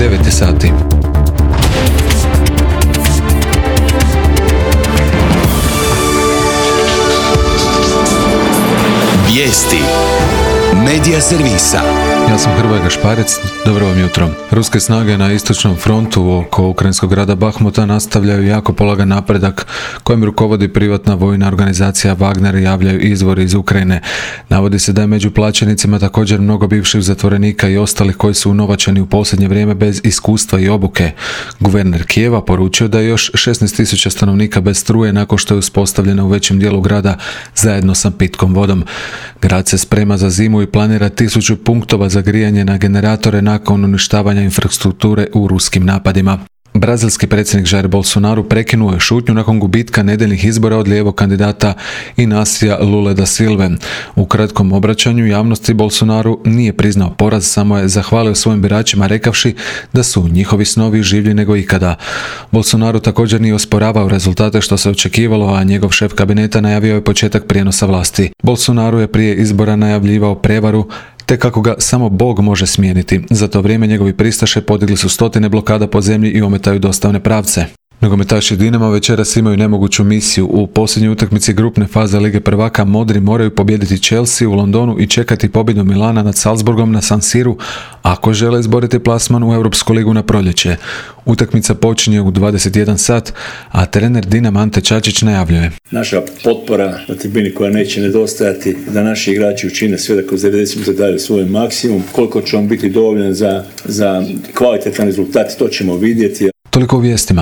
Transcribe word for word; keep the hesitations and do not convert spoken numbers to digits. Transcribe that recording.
devet sati. Vijesti Medija servisa. Ja sam Hrvoje Gašparec, dobro vam jutro. Ruske snage na istočnom frontu oko ukrajinskog grada Bahmuta nastavljaju jako polagan napredak kojim rukovodi privatna vojna organizacija Wagner, javljaju izvori iz Ukrajine. Navodi se da je među plaćenicima također mnogo bivših zatvorenika i ostalih koji su unovačeni u posljednje vrijeme bez iskustva i obuke. Guverner Kijeva poručio da je još šesnaest tisuća stanovnika bez struje nakon što je uspostavljena u većem dijelu grada zajedno sa pitkom vodom. Grad se sprema za zimu i planira tisuću punktova za grijanje na generatore nakon uništavanja infrastrukture u ruskim napadima. Brazilski predsjednik Jair Bolsonaro prekinuo je šutnju nakon gubitka nedjeljnih izbora od lijevog kandidata Inácia Lule da Silve. U kratkom obraćanju javnosti Bolsonaro nije priznao poraz, samo je zahvalio svojim biračima rekavši da su njihovi snovi življi nego ikada. Bolsonaro također nije osporavao rezultate što se očekivalo, a njegov šef kabineta najavio je početak prijenosa vlasti. Bolsonaro je prije izbora najavljivao prevaru te kako ga samo Bog može smijeniti. Za to vrijeme njegovi pristaše podigli su stotine blokada po zemlji i ometaju dostavne pravce. Nogometaši Dinama večeras imaju nemoguću misiju. U posljednjoj utakmici grupne faze Lige prvaka modri moraju pobijediti Chelsea u Londonu i čekati pobjedu Milana nad Salzburgom na San Siru ako žele izboriti plasman u Europsku ligu na proljeće. Utakmica počinje u dvadeset jedan sat, a trener Dinama Ante Čačić najavljuje: naša potpora na tribini koja neće nedostajati, da naši igrači učine sve da kroz devedeset minuta daju svoj maksimum. Koliko će on biti dovoljan za, za kvalitetan rezultat, to ćemo vidjeti. Toliko u vijestima.